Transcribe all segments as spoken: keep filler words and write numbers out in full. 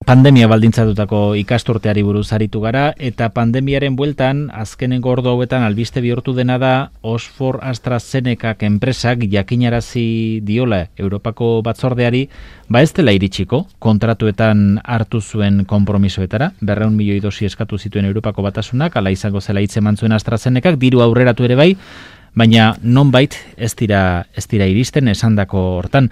Pandemia baldintzatutako ikasturteari buruz aritu gara, eta pandemiaren bueltan, azkenengo ordu hauetan albiste bihurtu dena da Oxford AstraZenecak enpresak jakinarazi diola Europako batzordeari, ba ez dela iritsiko, kontratuetan hartu zuen konpromisoetara, berrehun milioi dosi eskatu zituen Europako batasunak, ala izango zela hitz eman zuen AstraZenecak, diru aurreratu ere bai, baina nonbait ez dira ez dira iristen esandako hortan.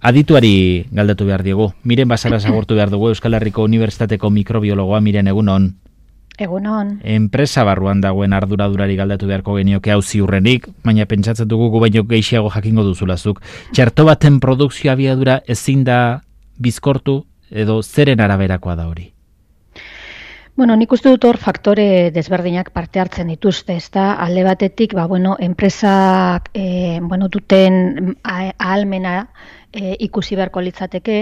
Adituari galdetu behar diegu. Miren Basara agurtu behar dugu, Euskal Herriko Unibertsitateko mikrobiologoa. Miren, egunon. Egunon. Enpresa barruan dagoen arduradurari galdetu beharko genioke hau ziurrenik, baina pentsatzen dugu gu baino gehiago jakingo duzulazuk. Txerto baten produkzio abiadura ezin da bizkortu edo zeren araberakoa da hori? Bueno, nik uste dut hor faktore desberdinak parte hartzen dituzte, ezta? Alde batetik, ba, bueno, enpresak eh, bueno, duten ahalmena e, ikusi beharko litzateke,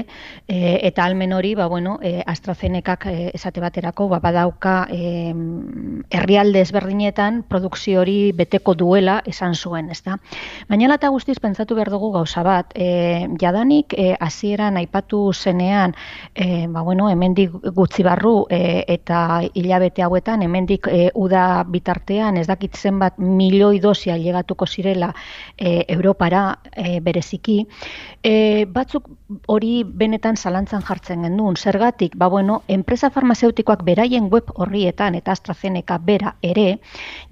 e, eta ahalmen hori, ba, bueno, e, AstraZenecak e, esate baterako ba, badauka e, herrialde ezberdinetan produkzio hori beteko duela esan zuen, ezta? Baina lata guztiz pentsatu behar dugu gauza bat, e, jadanik e, hasieran aipatu zenean, e, ba, bueno, hemendik gutxi barru e, eta hilabete hauetan, hemendik e, uda bitartean ez dakit zenbat milioi dosi ailegatuko zirela e, Europara e, bereziki, e, batzuk hori benetan zalantzan jartzen gendun. Zergatik, ba bueno, enpresa farmazeutikoak beraien web horrietan eta AstraZeneca bera ere,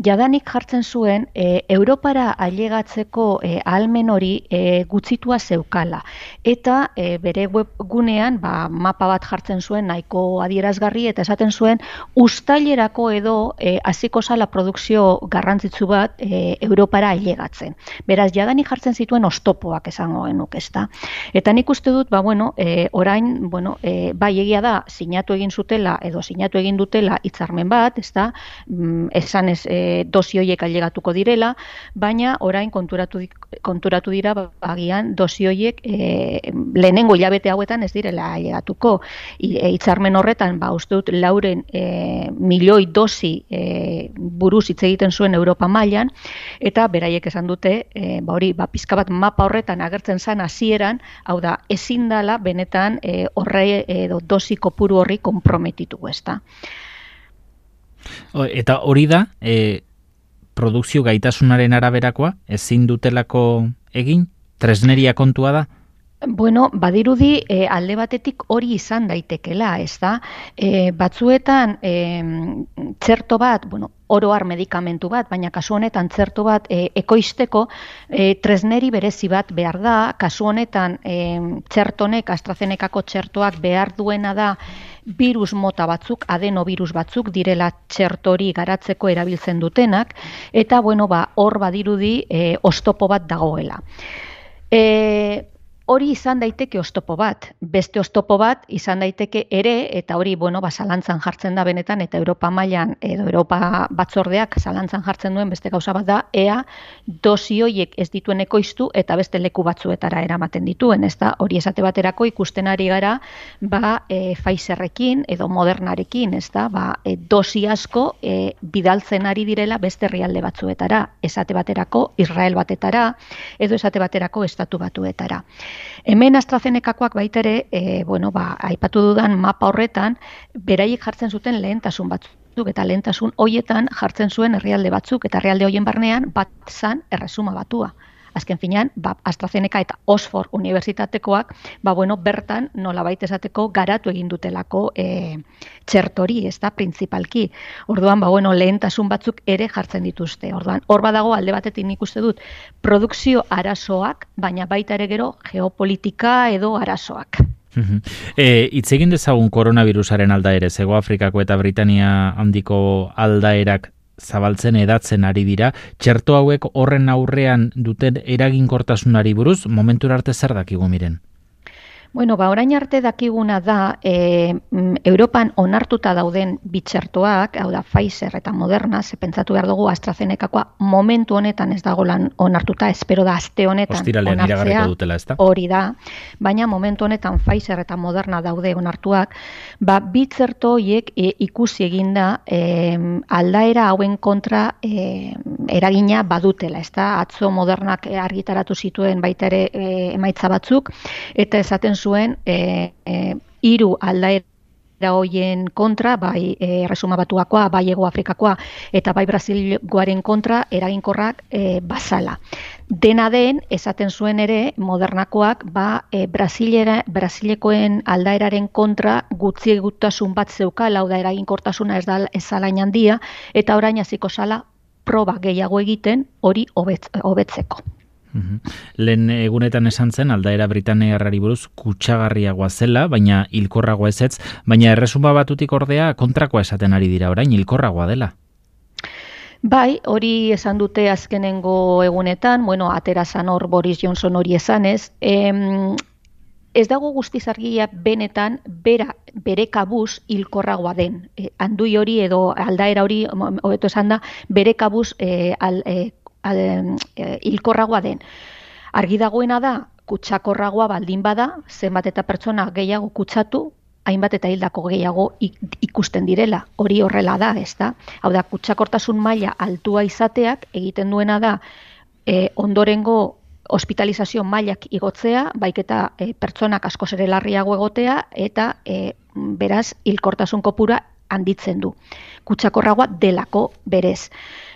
jadanik jartzen zuen e, Europara ailegatzeko e, ahalmen hori e, gutxitua zeukala. Eta e, bere webgunean ba, mapa bat jartzen zuen nahiko adierazgarri eta esaten zuen uztailerako edo e, hasiko zala produkzio garrantzitsu bat e, Europara ailegatzen. Beraz, jadanik jartzen zituen oztopoak esango genuk, ezta. Eta nik uste dut, ba, bueno, e, orain, bueno, e, bai egia da, sinatu egin zutela edo sinatu egin dutela hitzarmen bat, ezta, mm, esan ez e, dosi horiek ailegatuko direla, baina orain konturatu, konturatu dira, ba, agian dosi horiek e, lehenengo hilabete hauetan ez direla ailegatuko. Hitzarmen horretan, ba, uste dut, lauren e, milioi dosi e, buruz hitz egiten zuen Europa mailan, eta beraiek esan dute, e, ba, hori, ba, pizka bat mapa horretan agertzen zen hasieran, hau da, ezin dala benetan e, horre edo dosi kopuru horri konprometitu, ezta. Eta hori da, e, produkzio gaitasunaren araberakoa, ezin dutelako egin, tresneria kontua da? Bueno, badirudi e, alde batetik hori izan daitekela, ez da? E, batzuetan e, txerto bat, bueno, oro har medikamentu bat, baina kasu honetan txerto bat e, ekoizteko e, tresneri berezi bat behar da, kasu honetan e, txertonek, AstraZenecako txertoak behar duena da virus mota batzuk, adenovirus batzuk direla txertori garatzeko erabiltzen dutenak, eta bueno, ba, hor badirudi e, oztopo bat dagoela. E, Hori izan daiteke oztopo bat, beste oztopo bat izan daiteke ere, eta hori, bueno, ba, zalantzan jartzen da benetan, eta Europa mailan edo Europa batzordeak zalantzan jartzen duen beste gauza bat da, ea dosi horiek ez dituen ekoiztu eta beste leku batzuetara eramaten dituen, ez da, hori esate baterako ikusten ari gara, ba, e, Pfizerrekin edo Modernarekin, ez da, ba, e, dosi asko e, bidaltzen ari direla beste herrialde batzuetara, esate baterako Israel batetara, edo esate baterako Estatu Batuetara. Hemen AstraZenecakoak baita ere, e, bueno, ba, aipatu dudan mapa horretan, beraiek jartzen zuten lehentasun batzuk, eta lehentasun hoietan jartzen zuen herrialde batzuk, eta herrialde hoien barnean bat zan erresuma batua. Azken finean, ba, AstraZeneca eta Oxford unibertsitatekoak, ba, bueno, bertan nolabait esateko garatu egin dutelako e, txertori, ez da, printzipalki. Orduan, ba, bueno, lehentasun batzuk ere jartzen dituzte. Orduan, hor badago alde batetik nik uste dut produkzio arazoak, baina baita ere gero geopolitika edo arazoak. E, itz egin dezagun koronavirusaren aldaere, Hego Afrikako eta Britania handiko aldaerak zabaltzen edatzen ari dira, txerto hauek horren aurrean duten eraginkortasunari buruz, momentura arte zer dakigu Miren? Bueno, ba, orain arte dakiguna da, e, Europan onartuta dauden bitxertoak, hau da Pfizer eta Moderna, ze pentsatu behar dugu AstraZenecakoa momentu honetan ez dago lan onartuta, espero da aste honetan Ostiralean iragarriko dutela, ezta? Hori da, baina momentu honetan Pfizer eta Moderna daude onartuak, ba, bitxerto horiek e, ikusi eginda e, aldaera hauen kontra e, eragina badutela, ezta? Atzo Modernak argitaratu zituen baita ere e, emaitza batzuk, eta esaten zuen e, e, hiru aldaera hoien kontra, bai Erresuma Batuakoa, bai Hego Afrikakoa eta bai Brasilgoaren kontra eraginkorrak e, bazala. Dena den, esaten zuen ere, Modernakoak ba, e, Brasilera, Brasilekoen aldaeraren kontra gutxi egutasun bat zeukala, hau da eraginkortasuna ez da ezalain handia, eta orain hasiko zala proba gehiago egiten hori hobet, hobetzeko. Uhum. Lehen egunetan esan zen, aldaera Britainiarrari buruz kutsagarriagoa zela, baina hilkorragoa ezetz, baina Erresuma Batutik ordea kontrakoa esaten ari dira orain, hilkorragoa dela. Bai, hori esan dute azkenengo egunetan, bueno, atera zan hor Boris Johnson hori esanez, em, ez dago guztiz argia benetan bera, bere kabuz hilkorragoa den. E, andui hori edo aldaera hori, hobeto esan da, bere kabuz e, al, e, al, e, hilkorragoa den. Argi dagoena da, kutsakorragoa baldin bada, zenbat eta pertsona gehiago kutsatu, hainbat eta hildako gehiago ikusten direla. Hori horrela da, ez da? Hau da, kutsakortasun maila altua izateak egiten duena da e, ondorengo hospitalizazio mailak igotzea, baiketa e, pertsonak askoz ere larriago egotea eta e, beraz hilkortasun kopura handitzen du. Kutsakorragoa delako berez.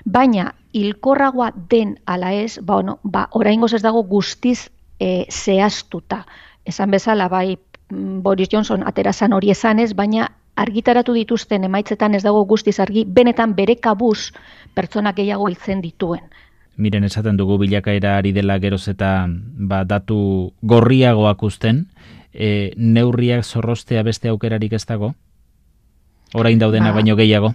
Baina hilkorragoa den ala ez, ba, bueno, ba, oraingoz ez dago guztiz e, zehaztuta. Esan bezala, bai Boris Johnson aterazan hori esanez, baina argitaratu dituzten emaitzetan ez dago guztiz argi, benetan bere kabuz pertsonak gehiago hiltzen dituen. Miren, esaten dugu bilakaera ari dela geroz eta ba, datu gorriagoak uzten, e, neurriak zorrostea beste aukerarik ez dago? Orain daudena ba, baino gehiago?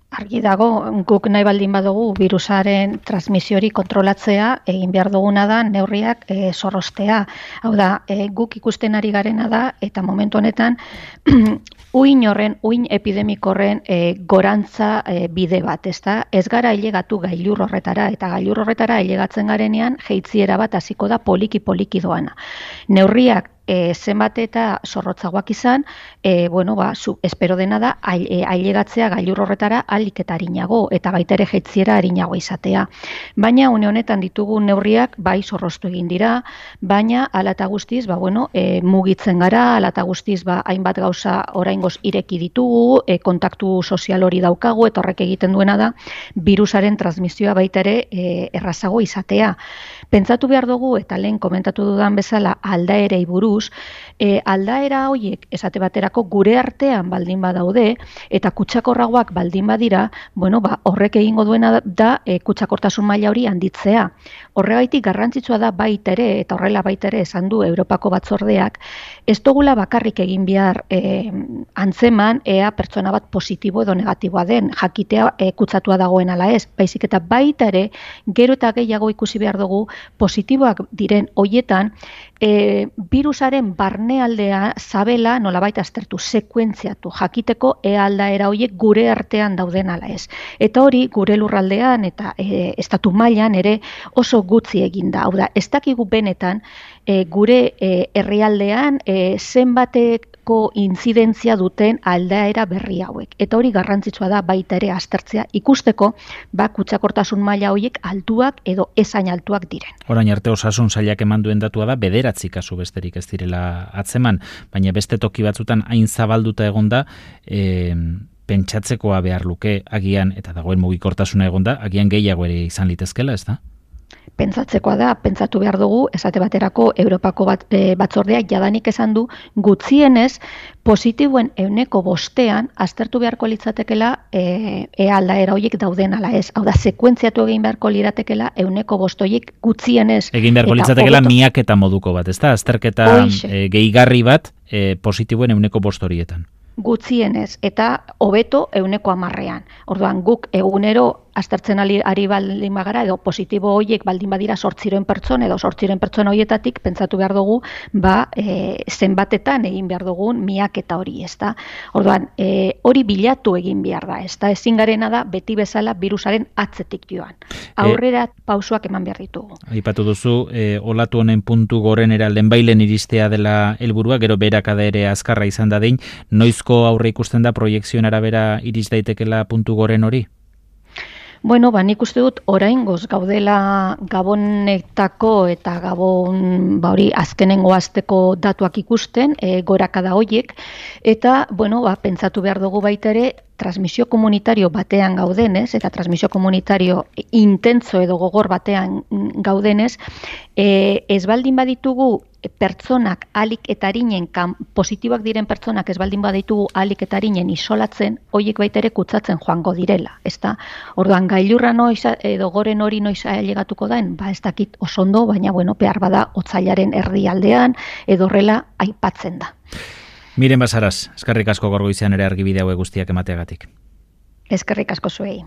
Argi dago, guk nahi baldin badugu virusaren transmisiori kontrolatzea, egin behar duguna da neurriak e, zorrostea. Hau da, e, guk ikusten ari garena da, eta momentu honetan, uin horren, uin epidemiko horren e, gorantza e, bide bat, ezta? Ez gara ailegatu gailur horretara, eta gailur horretara ailegatzen garenean, jeitziera bat hasiko da poliki-poliki doana. Neurriak E, zenbat eta zorrotzagoak izan, e, bueno, ba, zu, espero dena da, ailegatzea gailur horretara alik eta arinago, eta baita ere jeitziera arinago izatea. Baina, une honetan ditugu neurriak, bai zorroztu egin dira, baina, ala eta guztiz, ba, bueno, e, mugitzen gara, ala eta guztiz, ba, hainbat gauza oraingoz ireki ditugu, e, kontaktu sozial hori daukagu, eta horrek egiten duena da, virusaren transmisioa baita ere e, errazago izatea. Pentsatu behar dugu, eta lehen komentatu dudan bezala, aldaerei buruz, E, aldaera horiek esate baterako gure artean baldin badaude eta kutsakorragoak baldin badira, bueno, ba, horrek egingo duena da e, kutsakortasun maila hori handitzea. Horregaitik garrantzitsua da baita ere, eta horrela baita ere esan du Europako batzordeak, ez dugula bakarrik egin behar e, antzeman ea pertsona bat positibo edo negatiboa den, jakitea e, kutsatua dagoen ala ez, baizik eta baita ere gero eta gehiago ikusi behar dugu positiboak diren hoietan e, virusaren barnealdea zabela nolabait aztertu, sekuentziatu, jakiteko ea aldaera horiek gure artean dauden ala ez. Eta hori gure lurraldean eta e, estatu mailan ere oso gutxi egin da. Hau da, ez dakigu benetan e, gure e, herrialdean e, zenbateko intzidentzia duten aldaera berri hauek. Eta hori garrantzitsua da baita ere aztertzea ikusteko ba, kutsakortasun maila horiek altuak edo ezain altuak diren. Orain arte osasun sailak eman duen datua da bederatzi kasu besterik ez direla atzeman, baina beste toki batzutan hain zabalduta egonda, e, pentsatzekoa behar luke agian, eta dagoen mugikortasuna egonda, agian gehiago ere izan litezkela, ez da? Pentsatzekoa da, pentsatu behar dugu, esate baterako Europako bat, e, batzordeak jadanik esan du, gutxienez positiboen ehuneko bostean aztertu beharko litzatekela e, e aldaera horiek dauden ala ez. Hau da, sekuentziatu egin beharko liratekela ehuneko bost horiek gutxienez. Egin beharko litzatekela miaketa moduko bat, ez da? Azterketa e, gehigarri bat e, positiboen ehuneko bost horietan. Gutxienez, eta hobeto ehuneko hamarrean. Orduan, guk egunero aztertzen ari, ari baldin bagara, edo positibo horiek baldin badira sortziren pertsona, edo sortziren pertsona horietatik, pentsatu behar dugu, ba, e, zenbatetan egin behar dugun miaketa hori, ez da? Orduan, e, hori bilatu egin behar da, ez da? Ezin garena da, beti bezala, virusaren atzetik joan. Aurrera e, pausoak eman behar ditugu. Aipatu duzu, e, olatu honen puntu gorenera lehenbailen iristea dela helburua, gero berakada ere azkarra izan dadin, noizko aurre ikusten da proiekzioen arabera iris daitekela puntu goren hori? Bueno, ba, nik uste dut oraingoz gaudela Gabonetako eta Gabon ba hori azkenengo asteko datuak ikusten, e, gorakada hoiek, eta bueno, ba, pentsatu behar dugu baita ere transmisio komunitario batean gaudenez, eta transmisio komunitario intentso edo gogor batean gaudenez, e, ez baldin baditugu pertsonak alik eta arinen, positiboak diren pertsonak ez baldin baditugu alik eta arinen isolatzen, hoiek baita ere kutsatzen joango direla, ezta? Orduan gailurra noiz edo goren hori noiz ailegatuko daen, ba ez dakit oso ondo, baina bueno, behar bada otsailaren erdialdean edo horrela aipatzen da. Miren Basaras, eskerrik asko gaur goizean ere argibide hauek guztiak emateagatik. Eskerrik asko zuei.